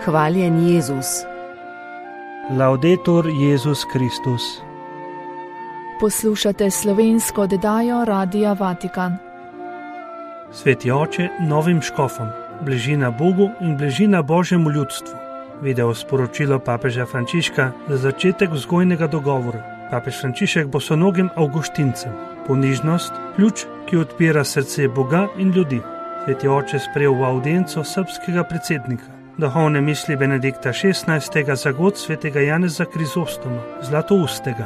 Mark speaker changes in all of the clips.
Speaker 1: Hvaljen Jezus.
Speaker 2: Laudetur Jezus Kristus.
Speaker 3: Poslušate slovensko oddajo Radia Vatikan.
Speaker 2: Sveti oče novim škofom, bližina Bogu in bližina Božjemu ljudstvu. Video sporočilo papeža Frančiška za začetek vzgojnega dogovora. Papež Frančišek bosonogim avguštincem. Ponižnost, ključ, ki odpira srce Boga in ljudi. Sveti oče sprejel v audienco srbskega predsednika. Duhovne misli Benedikta XVI. Za god svetega Janeza Krizostoma, Zlatoustega.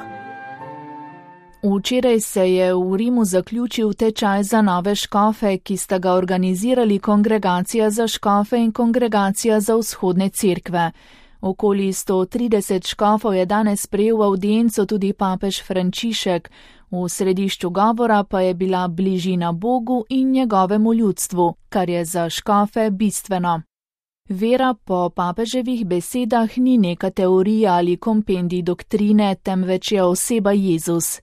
Speaker 3: Včeraj se je v Rimu zaključil tečaj za nove škofe, ki sta ga organizirali Kongregacija za škofe in Kongregacija za vzhodne cerkve. Okoli 130 škofov je danes sprejel v audienco tudi papež Frančišek. V središču govora pa je bila bližina Bogu in njegovemu ljudstvu, kar je za škofe bistveno. Vera po papeževih besedah ni neka teorija ali kompendij doktrine, temveč je oseba Jezus.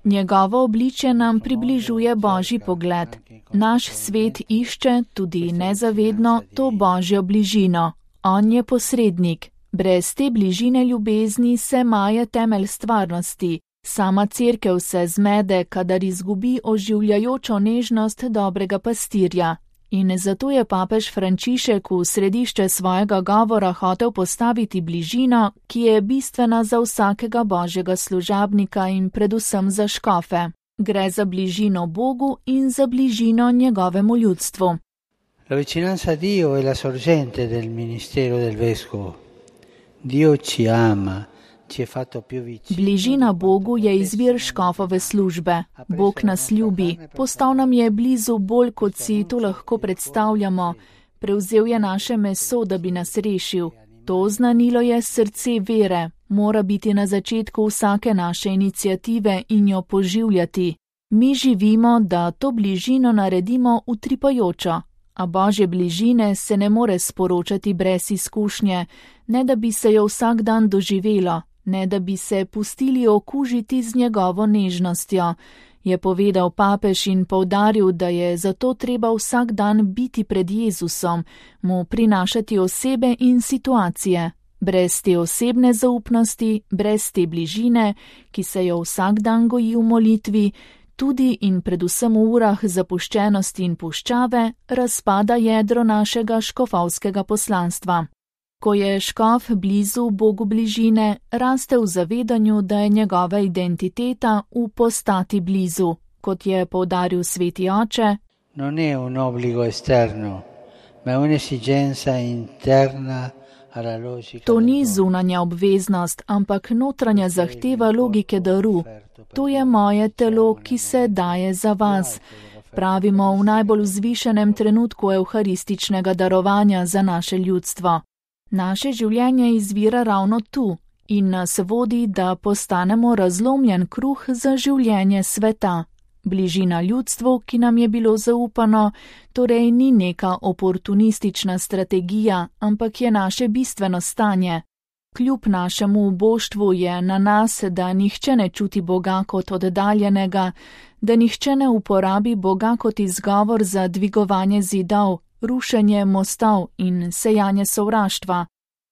Speaker 3: Njegovo obličje nam približuje Božji pogled. Naš svet išče, tudi nezavedno, to Božjo bližino. On je posrednik. Brez te bližine ljubezni se maje temelj stvarnosti. Sama cerkev se zmede, kadar izgubi oživljajočo nežnost dobrega pastirja. In zato je papež Frančišek v središče svojega govora hotel postaviti bližino, ki je bistvena za vsakega božjega služabnika in predvsem za škofe. Gre za bližino Bogu in za bližino njegovemu ljudstvu.
Speaker 4: La vicinanza a Dio è la sorgente del ministero del vescovo. Dio ci ama.
Speaker 3: Bližina Bogu je izvir škofove službe. Bog nas ljubi. Postal nam je blizu bolj, kot si to lahko predstavljamo. Prevzel je naše meso, da bi nas rešil. To znanilo je srce vere. Mora biti na začetku vsake naše iniciative in jo poživljati. Mi živimo, da to bližino naredimo utripajočo. A Božje bližine se ne more sporočati brez izkušnje, ne da bi se jo vsak dan doživelo. Ne da bi se pustili okužiti z njegovo nežnostjo, je povedal papež in poudaril, da je zato treba vsak dan biti pred Jezusom, mu prinašati osebe in situacije. Brez te osebne zaupnosti, brez te bližine, ki se jo vsak dan goji v molitvi, tudi in predvsem v urah zapuščenosti in puščave, razpada jedro našega škofovskega poslanstva. Ko je škof blizu Bogu bližine, raste v zavedanju, da je njegova identiteta v postati blizu, kot je poudaril sveti oče.
Speaker 4: Non è un obbligo esterno, ma è un'esigenza interna alla logica.
Speaker 3: To ni zunanja obveznost, ampak notranja zahteva logike daru. To je moje telo, ki se daje za vas. Pravimo v najbolj vzvišenem trenutku evharističnega darovanja za naše ljudstvo. Naše življenje izvira ravno tu in nas vodi, da postanemo razlomljen kruh za življenje sveta. Bližina ljudstvu, ki nam je bilo zaupano, torej ni neka oportunistična strategija, ampak je naše bistveno stanje. Kljub našemu uboštvu je na nas, da nihče ne čuti Boga kot oddaljenega, da nihče ne uporabi Boga kot izgovor za dvigovanje zidov, rušenje mostov in sejanje sovraštva.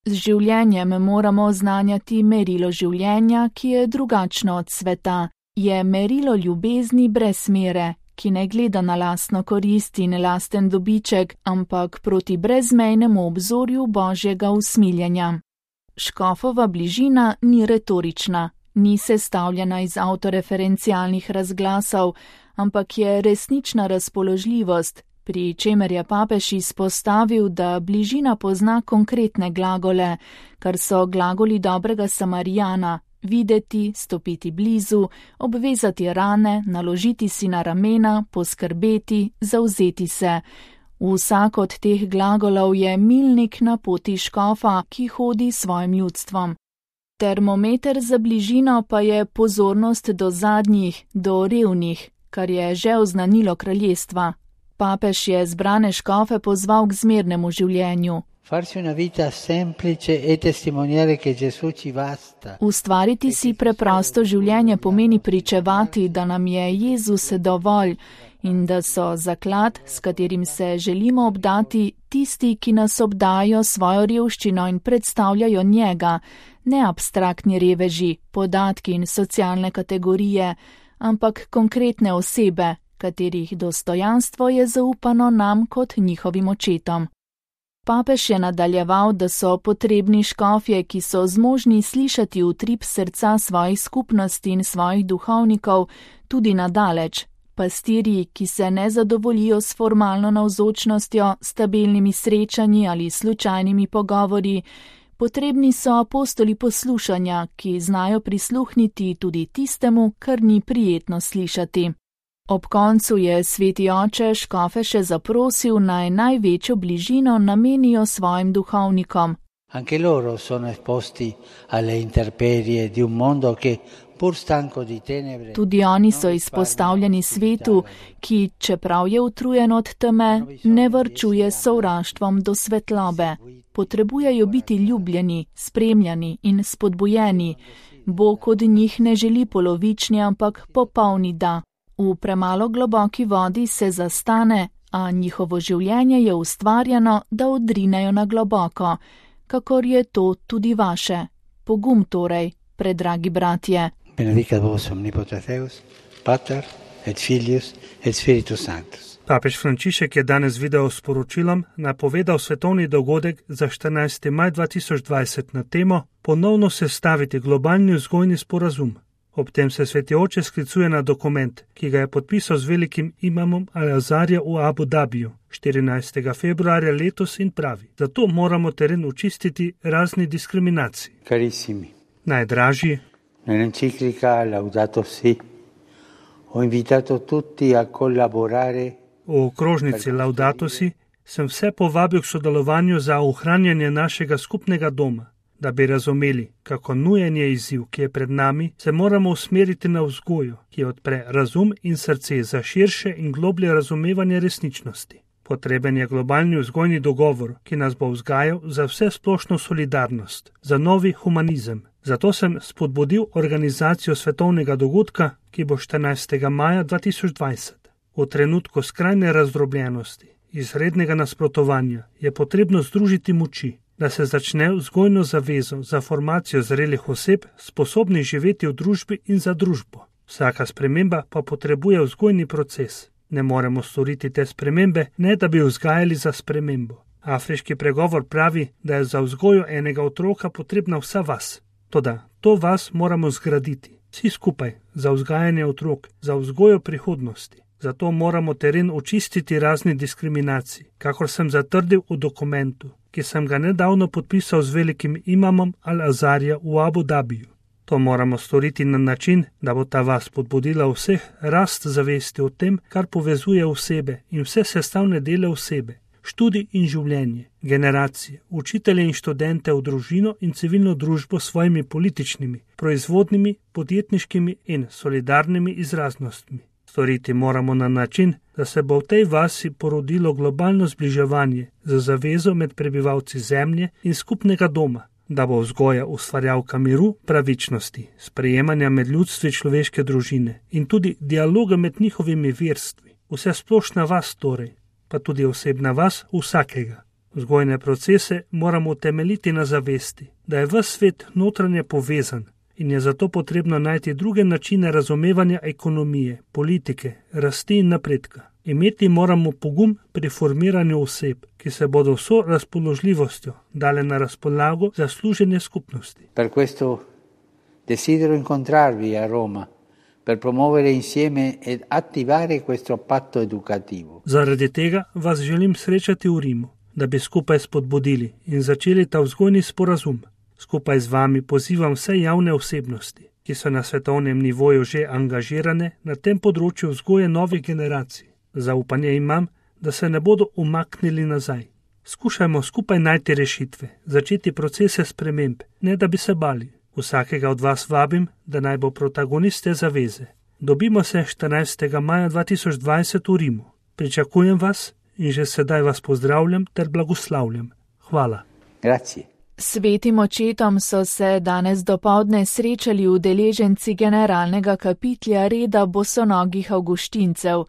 Speaker 3: Z življenjem moramo oznanjati merilo življenja, ki je drugačno od sveta. Je merilo ljubezni brez mere, ki ne gleda na lastno korist in lasten dobiček, ampak proti brezmejnemu obzorju Božjega usmiljenja. Škofova bližina ni retorična, ni sestavljena iz avtoreferencialnih razglasov, ampak je resnična razpoložljivost, pri čemer je papež izpostavil, da bližina pozna konkretne glagole, kar so glagoli dobrega Samarijana: videti, stopiti blizu, obvezati rane, naložiti si na ramena, poskrbeti, zavzeti se. Vsak od teh glagolov je milnik na poti škofa, ki hodi s svojim ljudstvom. Termometer za bližino pa je pozornost do zadnjih, do revnih, kar je že oznanilo kraljestva. Papež je zbrane škofe pozval k zmernemu življenju. Ustvariti si preprosto življenje pomeni pričevati, da nam je Jezus dovolj in da so zaklad, s katerim se želimo obdati, tisti, ki nas obdajo svojo revščino in predstavljajo njega, ne abstraktni reveži, podatki in socialne kategorije, ampak konkretne osebe, katerih dostojanstvo je zaupano nam kot njihovim očetom. Papež je nadaljeval, da so potrebni škofje, ki so zmožni slišati utrip srca svojih skupnosti in svojih duhovnikov tudi nadaleč, pastirji, ki se ne zadovoljijo s formalno navzočnostjo, stabilnimi srečanji ali slučajnimi pogovori. Potrebni so apostoli poslušanja, ki znajo prisluhniti tudi tistemu, kar ni prijetno slišati. Ob koncu je sveti oče škofe še zaprosil, naj največjo bližino namenijo svojim duhovnikom.
Speaker 4: Anche loro sono esposti alle intemperie di un mondo che pur stanco di tenebre.
Speaker 3: Tudi oni so izpostavljeni svetu, ki, čeprav je utrujen od teme, ne varčuje s sovraštvom do svetlobe. Potrebujejo biti ljubljeni, spremljani in spodbujeni. Bog od njih ne želi polovični, ampak popolni da. V premalo globoki vodi se zastane, a njihovo življenje je ustvarjeno, da odrinejo na globoko, kakor je to tudi vaše. Pogum torej, predragi bratje.
Speaker 4: Benedicat vos omnipotens Deus, Pater et Filius et Spiritus Sanctus.
Speaker 2: Papež Frančišek je danes video sporočilom napovedal svetovni dogodek za 14. maj 2020 na temo Ponovno sestaviti globalni vzgojni sporazum. Ob tem se sveti oče sklicuje na dokument, ki ga je podpisal z velikim imamom Al-Azharja v Abu Dhabiju 14. februarja letos in pravi: zato moramo teren očistiti razni diskriminaciji.
Speaker 4: Carissimi,
Speaker 2: Najdražji,
Speaker 4: nell'enciclica Laudato Si ho invitato tutti a collaborare.
Speaker 2: v okrožnici Laudato Si sem vse povabil k sodelovanju za ohranjanje našega skupnega doma. Da bi razumeli, kako nujen je izziv, ki je pred nami, se moramo usmeriti na vzgojo, ki odpre razum in srce za širše in globlje razumevanje resničnosti. Potreben je globalni vzgojni dogovor, ki nas bo vzgajal za vse splošno solidarnost, za novi humanizem. Zato sem spodbudil organizacijo svetovnega dogodka, ki bo 14. maja 2020. V trenutku skrajne razdrobljenosti, izrednega nasprotovanja, je potrebno združiti moči, da se začne vzgojno zavezo za formacijo zrelih oseb, sposobnih živeti v družbi in za družbo. Vsaka sprememba pa potrebuje vzgojni proces. Ne moremo storiti te spremembe, ne da bi vzgajali za spremembo. Afriški pregovor pravi, da je za vzgojo enega otroka potrebna vsa vas. Toda to vas moramo zgraditi. Vsi skupaj, za vzgajanje otrok, za vzgojo prihodnosti. Zato moramo teren očistiti razni diskriminacij, kakor sem zatrdil v dokumentu, ki sem ga nedavno podpisal z velikim imamom Al-Azharja v Abu Dhabiju. To moramo storiti na način, da bo ta vas podbudila vseh rast zavesti o tem, kar povezuje osebe in vse sestavne dele osebe, študij in življenje, generacije, učitelje in študente v družino in civilno družbo s svojimi političnimi, proizvodnimi, podjetniškimi in solidarnimi izraznostmi. Storiti moramo na način, da se bo v tej vasi porodilo globalno zbliževanje za zavezo med prebivalci zemlje in skupnega doma, da bo vzgoja ustvarjalka miru, pravičnosti, sprejemanja med ljudstvi človeške družine in tudi dialoga med njihovimi verstvi. Vse splošna vas torej, pa tudi osebna vas vsakega. Vzgojne procese moramo utemeljiti na zavesti, da je ves svet notranje povezan, in je zato potrebno najti druge načine razumevanja ekonomije, politike, rasti in napredka. Imeti moramo pogum pri formiranju oseb, ki se bodo vso razpoložljivostjo dale na razpolago za služenje skupnosti.
Speaker 4: Per questo desidero incontrarvi a Roma per promuovere insieme ed attivare questo patto educativo.
Speaker 2: Zaradi tega vas želim srečati v Rimu, da bi skupaj spodbudili in začeli ta vzgojni sporazum. Skupaj z vami pozivam vse javne osebnosti, ki so na svetovnem nivoju že angažirane na tem področju vzgoje novih generacij. Zaupanje imam, da se ne bodo umaknili nazaj. Skušajmo skupaj najti rešitve, začeti procese sprememb, ne da bi se bali. Vsakega od vas vabim, da naj bo protagonist te zaveze. Dobimo se 14. maja 2020 v Rimu. Pričakujem vas in že sedaj vas pozdravljam ter blagoslavljam. Hvala.
Speaker 4: Grazie.
Speaker 3: Svetim očetom so se danes dopoldne srečali udeleženci generalnega kapitlja reda bosonogih avguštincev.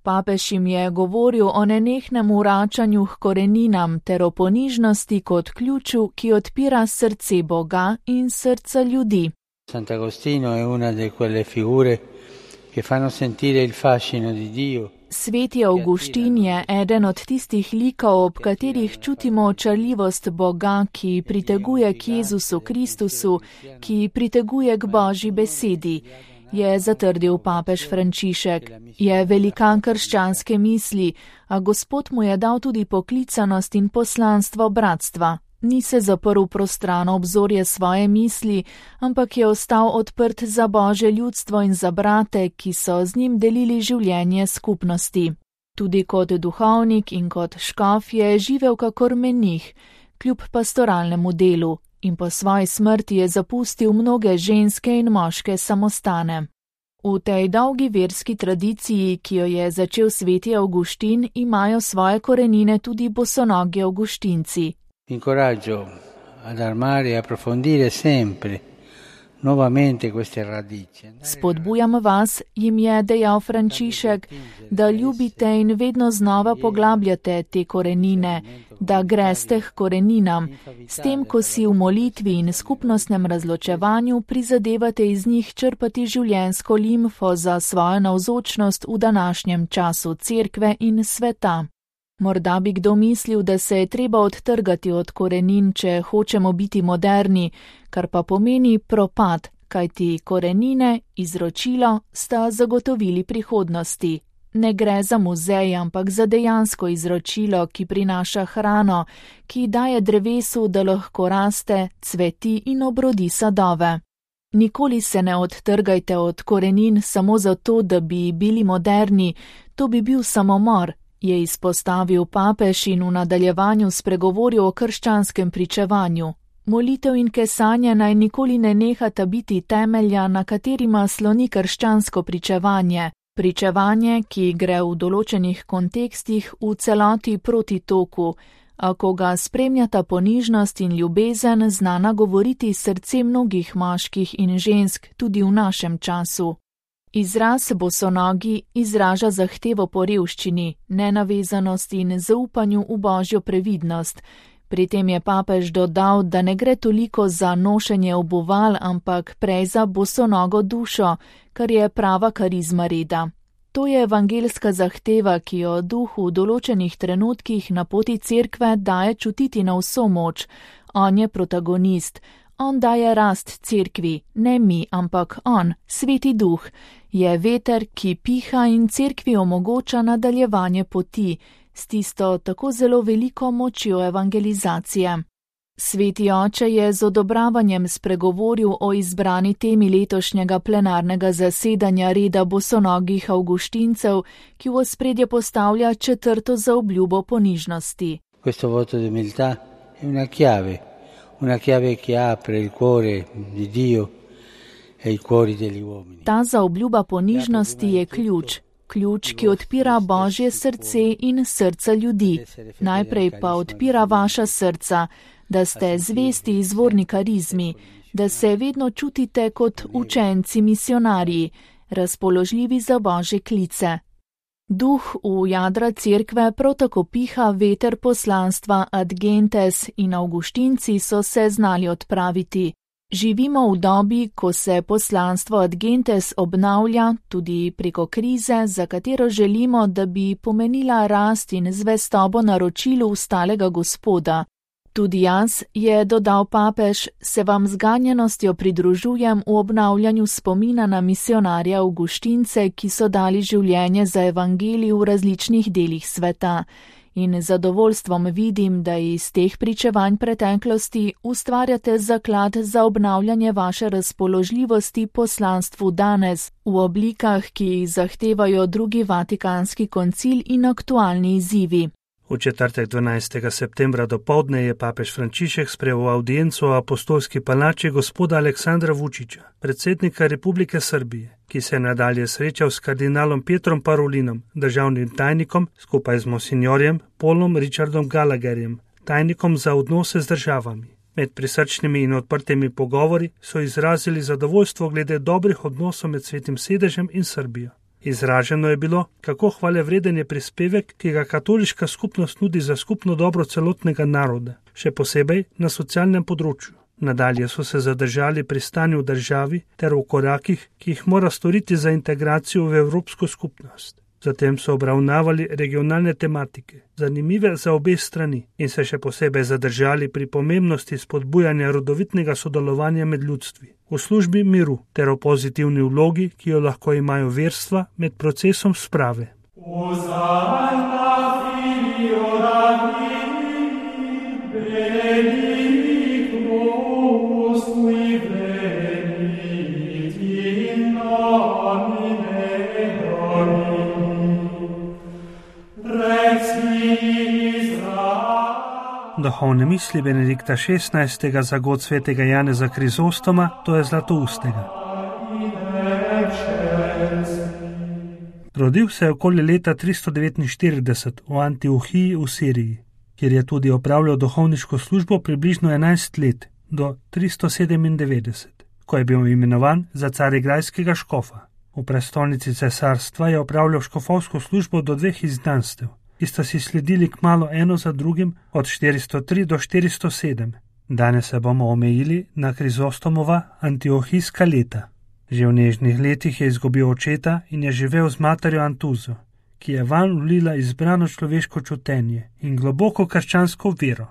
Speaker 3: Papež jim je govoril o nenehnem vračanju k koreninam ter o ponižnosti kot ključu, ki odpira srce Boga in srca ljudi.
Speaker 4: Sant'Agostino è una di quelle figure che fanno sentire il fascino di Dio.
Speaker 3: Sveti Avguštin je eden od tistih likov, ob katerih čutimo očarljivost Boga, ki priteguje k Jezusu Kristusu, ki priteguje k Božji besedi, je zatrdil papež Frančišek. Je velikan krščanske misli, a Gospod mu je dal tudi poklicanost in poslanstvo bratstva. Ni se zaprl prostrano obzorje svoje misli, ampak je ostal odprt za Božje ljudstvo in za brate, ki so z njim delili življenje skupnosti. Tudi kot duhovnik in kot škof je živel kakor menih, kljub pastoralnemu delu, in po svoji smrti je zapustil mnoge ženske in moške samostane. V tej dolgi verski tradiciji, ki jo je začel sveti Avguštin, imajo svoje korenine tudi bosonogi avguštinci.
Speaker 4: Incoraggio ad armare e approfondire sempre nuovamente queste radici.
Speaker 3: Spodbujam vas, jim je dejal Frančišek, da ljubite in vedno znova poglabljate te korenine, da greste k koreninam, s tem, ko si v molitvi in skupnostnem razločevanju prizadevate iz njih črpati življenjsko limfo za svojo navzočnost v današnjem času cerkve in sveta. Morda bi kdo mislil, da se je treba odtrgati od korenin, če hočemo biti moderni, kar pa pomeni propad, kajti korenine, izročilo, sta zagotovili prihodnosti. Ne gre za muzej, ampak za dejansko izročilo, ki prinaša hrano, ki daje drevesu, da lahko raste, cveti in obrodi sadove. Nikoli se ne odtrgajte od korenin samo zato, da bi bili moderni, to bi bil samomor, je izpostavil papež in v nadaljevanju spregovoril o krščanskem pričevanju. Molitev in kesanje naj nikoli ne nehata biti temelja, na katerima sloni krščansko pričevanje. Pričevanje, ki gre v določenih kontekstih v celoti proti toku, a ko ga spremljata ponižnost in ljubezen, zna nagovoriti srce mnogih moških in žensk tudi v našem času. Izraz bosonogi izraža zahtevo po revščini, nenavezanost in zaupanju v Božjo previdnost. Pri tem je papež dodal, da ne gre toliko za nošenje obuval, ampak prej za bosonogo dušo, kar je prava karizma reda. To je evangelska zahteva, ki jo duh v določenih trenutkih na poti cerkve daje čutiti na vso moč. On je protagonist. On daje rast cerkvi, ne mi, ampak on, sveti duh, je veter, ki piha in cerkvi omogoča nadaljevanje poti, s tisto tako zelo veliko močjo evangelizacije. Sveti oče je z odobravanjem spregovoril o izbrani temi letošnjega plenarnega zasedanja reda bosonogih avguštincev, ki v ospredje postavlja 4. zaobljubo ponižnosti.
Speaker 4: Questo voto di umiltà è una chiave che apre il cuore di Dio e i cuori degli uomini.
Speaker 3: Ta zaobljuba ponižnosti je ključ, ki odpira Božje srce in srca ljudi. Najprej pa odpira vaša srca, da ste zvesti izvorni karizmi, da se vedno čutite kot učenci misionarji, razpoložljivi za Božje klice. Duh v jadra cerkve prav tako piha veter poslanstva ad gentes in avguštinci so se znali odpraviti. Živimo v dobi, ko se poslanstvo ad gentes obnavlja tudi preko krize, za katero želimo, da bi pomenila rast in zvestobo naročilu ustalega Gospoda. Tudi jaz, je dodal papež, se vam z ganjenostjo pridružujem v obnavljanju spomina na misionarja avguštince, ki so dali življenje za evangelij v različnih delih sveta. In z zadovoljstvom vidim, da iz teh pričevanj preteklosti ustvarjate zaklad za obnavljanje vaše razpoložljivosti poslanstvu danes, v oblikah, ki jih zahtevajo drugi Vatikanski koncil in aktualni izzivi.
Speaker 2: V četrtek 12. septembra dopoldne je papež Frančišek sprejel audienco v apostolski palači gospoda Aleksandra Vučića, predsednika Republike Srbije, ki se je nadalje srečal s kardinalom Pietrom Parolinom, državnim tajnikom, skupaj z monsinjorjem Paulom Richardom Gallagherjem, tajnikom za odnose z državami. Med prisrčnimi in odprtimi pogovori so izrazili zadovoljstvo glede dobrih odnosov med Svetim sedežem in Srbijo. Izraženo je bilo, kako hvalevreden je prispevek, ki ga katoliška skupnost nudi za skupno dobro celotnega naroda, še posebej na socialnem področju. Nadalje so se zadržali pri stanju v državi ter v korakih, ki jih mora storiti za integracijo v evropsko skupnost. Zatem so obravnavali regionalne tematike, zanimive za obe strani, in se še posebej zadržali pri pomembnosti spodbujanja rodovitnega sodelovanja med ljudstvi, v službi miru ter o pozitivni vlogi, ki jo lahko imajo verstva med procesom sprave. Duhovne misli Benedikta XVI. Za god svetega Janeza Krizostoma, to je Zlatoustega. Rodil se je okoli leta 349 v Antiohiji v Siriji, kjer je tudi opravljal duhovniško službo približno 11 let do 397, ko je bil imenovan za carigrajskega škofa. V prestolnici cesarstva je opravljal škofovsko službo do 2 izgnanstev, ki sta si sledili kmalu eno za drugim od 403 do 407. Danes se bomo omejili na Krizostomova antiohijska leta. Že v nežnih letih je izgubil očeta in je živel z materjo Antuzo, ki je vanj vlila izbrano človeško čutenje in globoko krščansko vero.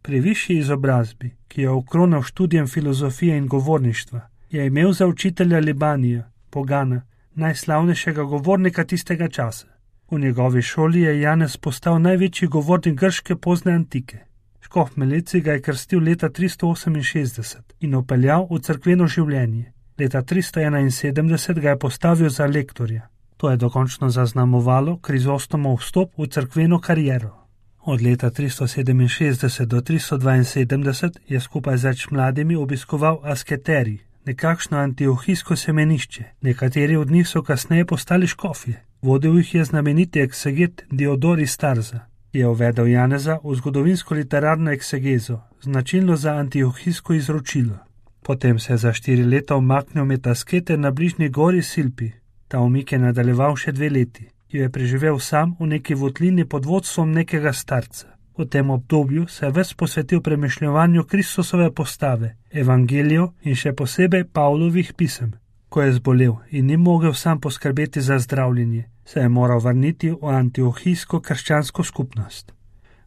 Speaker 2: Pri višji izobrazbi, ki je okronal študijem filozofije in govorništva, je imel za učitelja Libanija, pogana, najslavnejšega govornika tistega časa. V njegovi šoli je Janez postal največji govornik grške pozne antike. Škof Meleci ga je krstil leta 368 in opeljal v cerkveno življenje. Leta 371 ga je postavil za lektorja. To je dokončno zaznamovalo Krizostomov vstop v cerkveno kariero. Od leta 367 do 372 je skupaj z več mladimi obiskoval asketerij, nekakšno antiohijsko semenišče. Nekateri od njih so kasneje postali škofje. Vodil jih je znameniti ekseget Diodor iz Tarza, ki je uvedel Janeza v zgodovinsko-literarno eksegezo, značilno za antiohijsko izročilo. Potem se je za 4 leta umaknil med askete na bližnji gori Silpi. Ta umik je nadaljeval še 2 leti, ki jo je preživel sam v neki votlini pod vodstvom nekega starca. V tem obdobju se je ves posvetil premišljevanju Kristusove postave, evangelijev in še posebej Pavlovih pisem. Ko je zbolel in ni mogel sam poskrbeti za zdravljenje, se je moral vrniti v antiohijsko krščansko skupnost.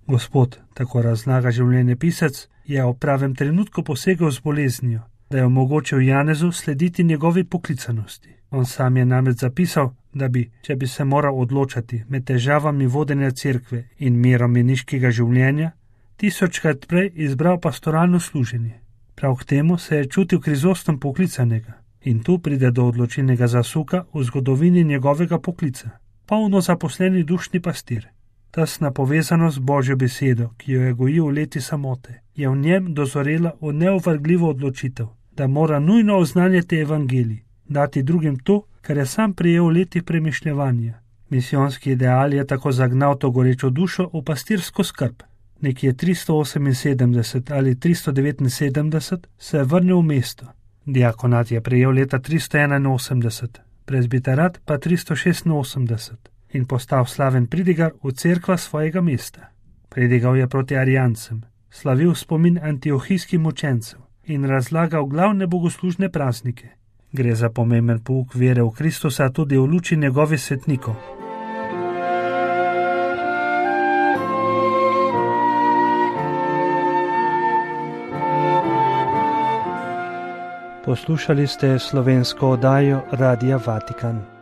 Speaker 2: Gospod, tako razlaga življenjepisec, je v pravem trenutku posegel z boleznijo, da je omogočil Janezu slediti njegovi poklicanosti. On sam je namreč zapisal, da bi, če bi se moral odločati med težavami vodenja cerkve in mirom meniškega življenja, 1000krat prej izbral pastoralno služenje. Prav k temu se je čutil Krizostom poklicanega. In tu pride do odločilnega zasuka v zgodovini njegovega poklica. Polno zaposleni dušni pastir. Tesna povezanost z Božjo besedo, ki jo je gojil v leti samote, je v njem dozorela v neovrgljivo odločitev, da mora nujno oznanjati evangelij, dati drugim to, kar je sam prijel v letih premišljevanja. Misijonski ideal je tako zagnal to gorečo dušo v pastirsko skrb. Nekje 378 ali 379 se je vrnil v mesto. Diakonat je prejel leta 381, prezbiterat pa 386 in postal slaven pridigar v cerkva svojega mesta. Pridigal je proti arijancem, slavil spomin antiohijskim učencev in razlagal glavne bogoslužne praznike. Gre za pomemben pouk vere v Kristusa tudi v luči njegovih svetnikov. Poslušali ste slovensko oddajo Radia Vatikan.